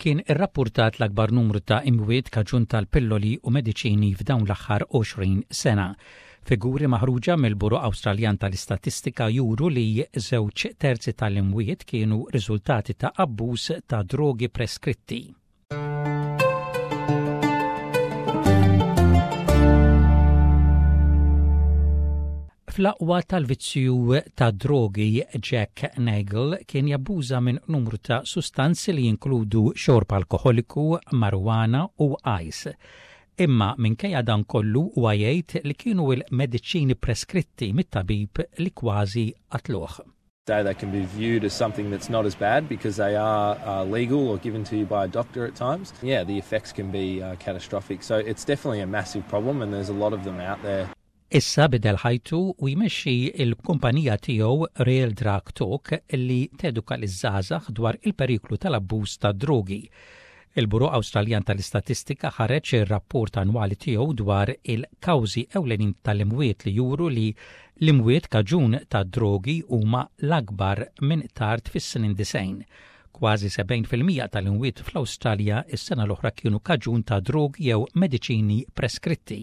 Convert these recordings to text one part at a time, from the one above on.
Kien irrappurtat l-akbar numru ta' imwiet kaġun tal-pilloli u mediċini f'dawn l-aħħar 20 sena. Figuri maħruġa mill-Bureau Awstraljan tal-Istatistika juru li żewġ terzi tal-imwiet kienu riżultati ta' abbuż ta' drogi preskritti. Fl-aqwa tal-vizzju tad-drogi, Jack Nagle kien jabbuża minn numru ta' sustanzi li jinkludu xorb alkoħoliku, marijuana u ice. Imma minkejja dan kollu huwa jgħid li kienu l-mediċini preskritti mit-tabib li kważi qatluh. They can be viewed as something that's not as bad because they are uh, legal or given to you by a doctor at times. Yeah, the effects can be uh, catastrophic. So it's definitely a massive problem and there's a lot of them out there. Issa bidel ħajtu u jmexxi l-kumpanija tiegħu Real Drug Talk li teduka liż-żgħażagħ dwar il-periklu tal-abbuż tad-drogi. Il-Bureau Awstraljan tal-Istatistika ħareġ ir-rapport annwali tiegħu dwar il-kawżi ewlenin tal-imwiet li juru li l-imwiet kaġun tad-drogi huma l-akbar minn tard fis-snin 90. Kważi 70% tal-imwiet fl-Awstralja s-sena l-oħra kienu kaġun ta' drogi jew mediċini preskritti.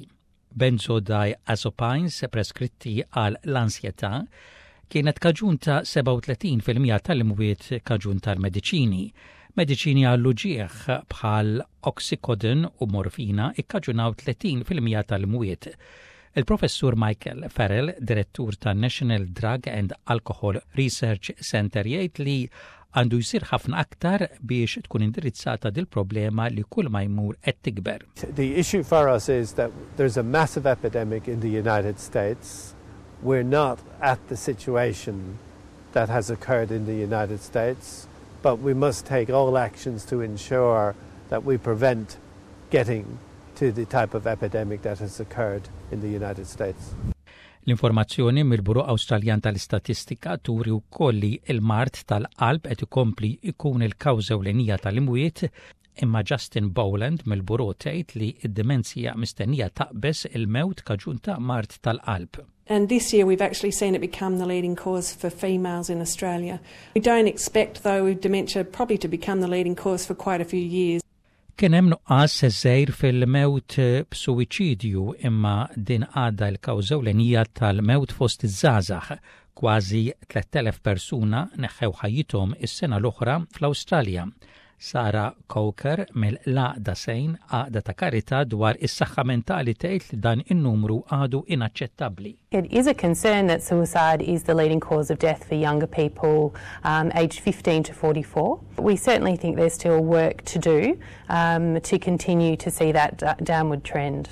Benzodiazepines preskritti għal l-ansjetà kienet kaġun ta' 37% tal-imwiet kaġun tal-mediċini. Mediċini għall-uġigħ bħal oxycodone u morfina ikkaġunaw 30% tal-imwiet. Il-Professur Michael Farrell, direttur tan-National Drug and Alcohol Research Center jgħid li għandu jsir ħafna aktar biex tkun indirizzata dil-problema li kull ma jmur qed tikber. The issue for us is that there's a massive epidemic in the United States. We're not at the situation that has occurred in the United States, but we must take all actions to ensure that we prevent getting to the type of epidemic that has occurred in the United States. L-informazzjoni mill-Bureau Awstraljan tal-Istatistika turi wkoll li l-mard tal-qalb qed ikompli jkun il-kawża ewlenija tal-imwiet, imma Justin Boland mill-Bureau tgħid li d-dimenzja mistennija taqbeż il-mewt kaġun ta' mard tal-qalb. And this year we've actually seen it become the leading cause for females in Australia. We don't expect though dementia probably to become the leading cause for quite a few years. Kien hemm nuqqas żgħir fil-mewt b'suwiċidju imma din għadha l-kawża ewlenija tal-mewt fost iż-żgħażagħ. Kważi 3,000 persuna neħħew ħajjithom is-sena l-oħra fl-Awstralja. Sarah Coker mill-Għaqda Sejn, għaqda ta' karità dwar is-saħħa mentali tgħid li dan in-numru għadu inaċċettabbli. It is a concern that suicide is the leading cause of death for younger people um, aged 15 to 44. We certainly think there's still work to do um, to continue to see that downward trend.